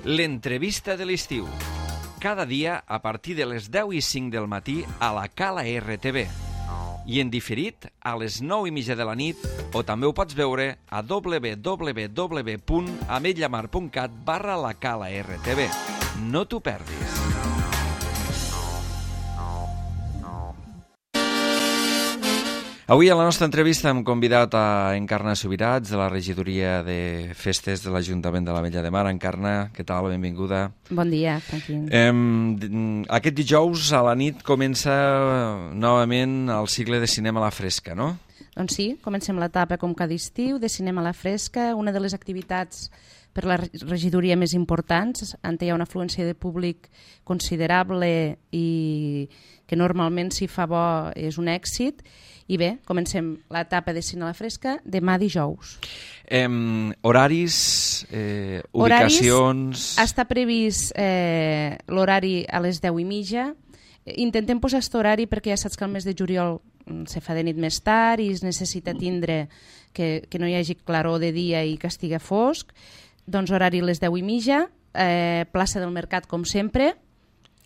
L'entrevista de l'estiu. Cada dia a partir de les 10:05 del matí a la Cala RTV. I en diferit a les 9:30 de la nit, o també ho pots veure a www.ametlllamar.cat/la Cala RTV. No t'ho perdis. Avui a la nostra entrevista hem convidat a Encarna Subirats, de la regidoria de festes de l'Ajuntament de l'Ametlla de Mar. Encarna, què tal? Benvinguda. Bon dia, Joaquín. Aquest dijous a la nit comença novament el cicle de cinema a la fresca, no? Doncs sí, comencem l'etapa com cada estiu de cinema a la fresca, una de les activitats per la regidoria més importants, on hi ha una afluència de públic considerable i que normalment si fa bo és un èxit. I bé, comencem l'etapa de cine a la fresca demà dijous. Horaris, ubicacions... Està previst l'horari a les 10:30. Intentem posar aquest horari perquè ja saps que el mes de juliol se fa de nit més tard i es necessita tindre que no hi hagi claror de dia i que estigui fosc. Doncs horari a les 10:30, plaça del Mercat com sempre,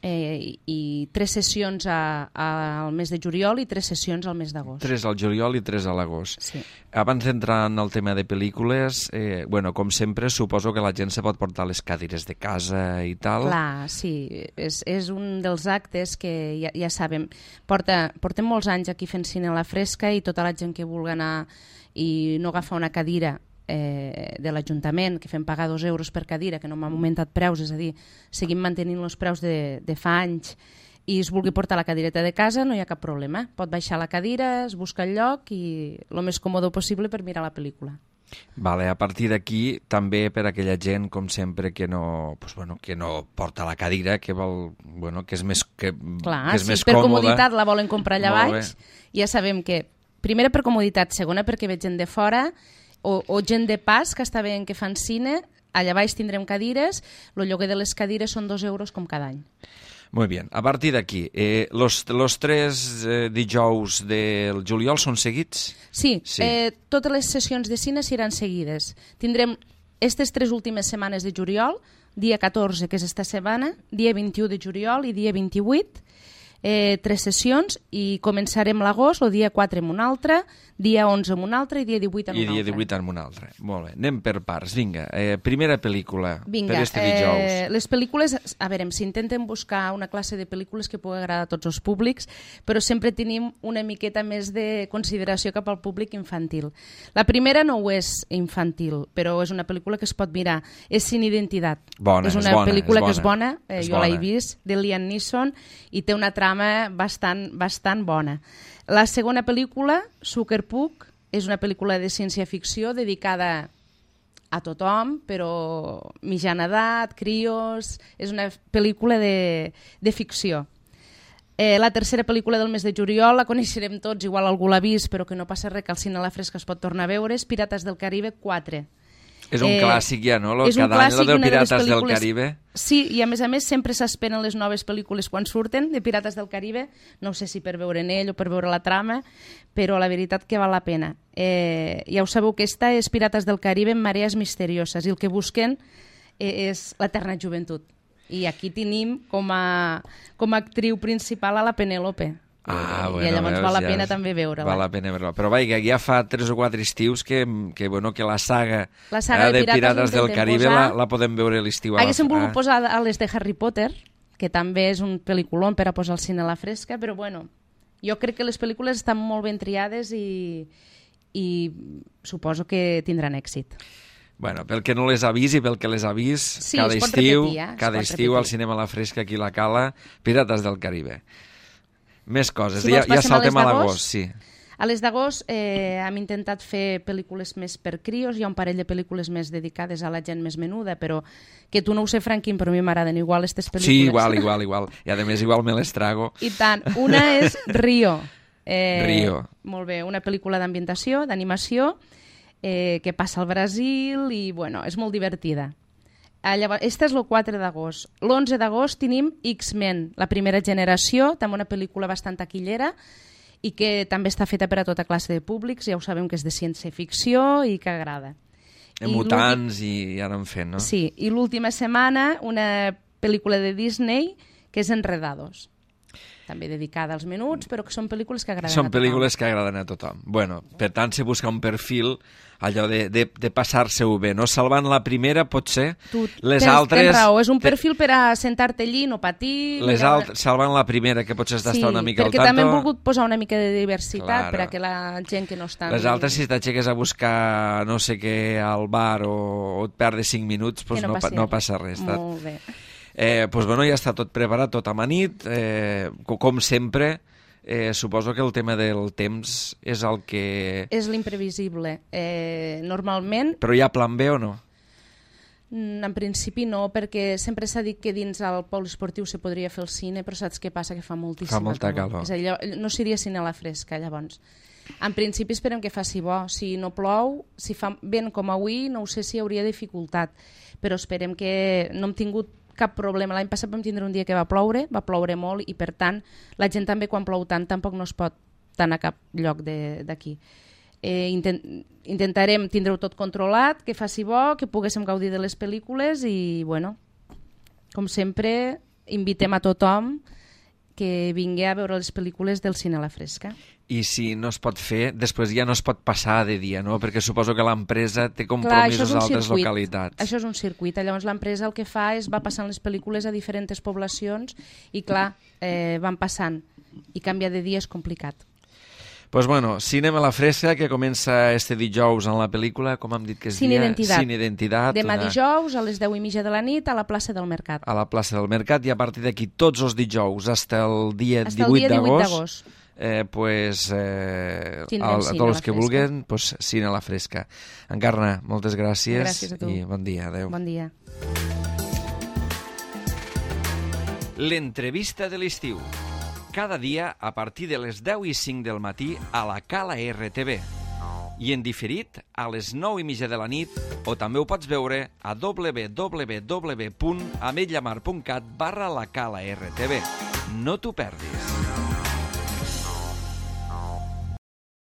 i 3 sessions al mes de juliol i 3 sessions al mes d'agost. 3 al juliol i 3 a l'agost. Sí. Abans d'entrar en el tema de pel·lícules, com sempre, suposo que la gent se pot portar les cadires de casa i tal. Clar, sí, és un dels actes que ja sabem. Portem molts anys aquí fent cine a la fresca i tota la gent que vulgui anar i no agafar una cadira de l'Ajuntament, que fem pagar 2 euros per cadira, que no m'ha augmentat preus, és a dir, seguim mantenint els preus de fa anys, i es vulgui portar la cadireta de casa, no hi ha cap problema. Pot baixar la cadira, es busca el lloc i el més còmode possible per mirar la pel·lícula. Vale, a partir d'aquí, també per aquella gent, com sempre, que no porta la cadira, que vol, que és més, Clar, que és sí, més per còmoda. Comoditat la volen comprar allà baix. Ja sabem que, primera per comoditat, segona perquè ve gent de fora, o gent de pas que està veient que fan cine, allà baix tindrem cadires, el lloguer de les cadires són 2 euros com cada any. Molt bé, a partir d'aquí, los 3 dijous del juliol són seguits? Sí. Totes les sessions de cine seran seguides. Tindrem aquestes 3 últimes setmanes de juliol, dia 14, que és esta setmana, dia 21 de juliol i dia 28, 3 sessions, i començarem l'agost, el dia 4 amb una altra, dia 11 amb una altra i dia 18 amb una altra. I dia 18 amb una altra. Molt bé, anem per parts. Vinga, primera pel·lícula per este dijous. Les pel·lícules, a veure, s'intenten buscar una classe de pel·lícules que pugui agradar a tots els públics, però sempre tenim una miqueta més de consideració cap al públic infantil. La primera no ho és infantil, però és una pel·lícula que es pot mirar. És Sin Identitat. És una pel·lícula que és bona, jo l'he vist, de Liam Neeson, i té una trama bastant bona. La segona pel·lícula, Sucker Puck, és una pel·lícula de ciència-ficció dedicada a tothom, però mitjana edat, crios... És una pel·lícula de ficció. La tercera pel·lícula del mes de juliol la coneixerem tots, igual algú l'ha vist, però que no passa res, que al cine a la fresca es pot tornar a veure, és Pirates del Caribe 4. És un clàssic ja, no? Cada any el de Pirates del Caribe. Sí, i a més sempre s'esperen les noves pel·lícules quan surten de Pirates del Caribe, no sé si per veure en ell o per veure la trama, però la veritat que val la pena. Ja ho sabeu que esta és Pirates del Caribe en marees misterioses, i el que busquen és l'eterna joventut. I aquí tenim com a actriu principal a la Penélope. I llavors val la pena també veure-la. Val la pena veure-la. Però ja fa 3 o 4 estius que la saga de Pirates del Caribe la podem veure a l'estiu. Haguéssim volgut posar a les de Harry Potter, que també és un pel·lículon per a posar al cine a la fresca, però jo crec que les pel·lícules estan molt ben triades i suposo que tindran èxit. Pel que no les ha vist i pel que les ha vist, sí, cada estiu al cinema a la fresca aquí a la Cala, Pirates del Caribe. Més coses, ja saltem a l'agost, sí. A les d'agost hem intentat fer pel·lícules més per crios, hi ha un parell de pel·lícules més dedicades a la gent més menuda, però que tu no ho sé, Franquín, però a mi m'agraden igual aquestes pel·lícules. Sí, igual. I a més igual me les trago. I tant. Una és Rio. Rio. Molt bé, una pel·lícula d'ambientació, d'animació, que passa al Brasil i, és molt divertida. Este és el 4 d'agost. L'11 d'agost tenim X-Men, la primera generació, també una pel·lícula bastant taquillera i que també està feta per a tota classe de públics, ja ho sabem que és de ciència-ficció i que agrada. Mutants i ara en fent, no? Sí, i l'última setmana una pel·lícula de Disney que és Enredados. També dedicada als menuts, però que són pel·lícules que agraden a tothom. Són pel·lícules que agraden a tothom. Bueno, per tant, se busca un perfil allò de passar-se-ho bé, no? Salvant la primera, potser, les altres... Tens raó, és un perfil per a sentar-te allí, no patir... Salvant la primera, que potser has d'estar una mica al tanto... Sí, perquè també hem volgut posar una mica de diversitat per a que la gent que no està... Les altres, si t'aixeques a buscar no sé què al bar o et perdes 5 minuts, doncs no passa res. Molt bé. Doncs bueno, ja està tot preparat, tot amanit, com sempre. Suposo que el tema del temps és el que... És l'imprevisible. Normalment... Però hi ha plan B o no? En principi no, perquè sempre s'ha dit que dins el poliesportiu se podria fer el cine, però saps què passa? Que fa moltíssima calor. Fa molta calor. És allò, no seria cine a la fresca, llavors. En principi esperem que faci bo. Si no plou, si fa vent com avui, no ho sé si hi hauria dificultat, però esperem que no hem tingut cap problema. L'any passat vam tindre un dia que va ploure molt i per tant la gent també quan plou tant tampoc no es pot anar a cap lloc d'aquí. Intentarem tindre-ho tot controlat, que faci bo, que poguéssim gaudir de les pel·lícules i bueno, com sempre invitem a tothom que vingui a veure les pel·lícules del cine a la fresca. I si no es pot fer, després ja no es pot passar de dia, no? Perquè suposo que l'empresa té compromisos a altres localitats. Això és un circuit. Llavors l'empresa el que fa és va passant les pel·lícules a diferents poblacions i clar, van passant. I canviar de dia és complicat. Doncs bueno, Cinema a la Fresca, que comença este dijous en la pel·lícula, com hem dit que es Cine dia? Cine Identitat. Demà dijous a les 10:30 de la nit a la plaça del Mercat. A la plaça del Mercat, i a partir d'aquí tots els dijous fins el dia 18 d'agost. A tots els que vulguin, Cine a la Fresca. Encarna, moltes gràcies a tu. I bon dia, adeu. Bon dia. L'entrevista de l'estiu. Cada dia a partir de les 10:05 del matí a la Cala RTV. I en diferit a les 9:30 de la nit, o també ho pots veure a www.ametlllamar.cat/la Cala RTV. No t'ho perdis.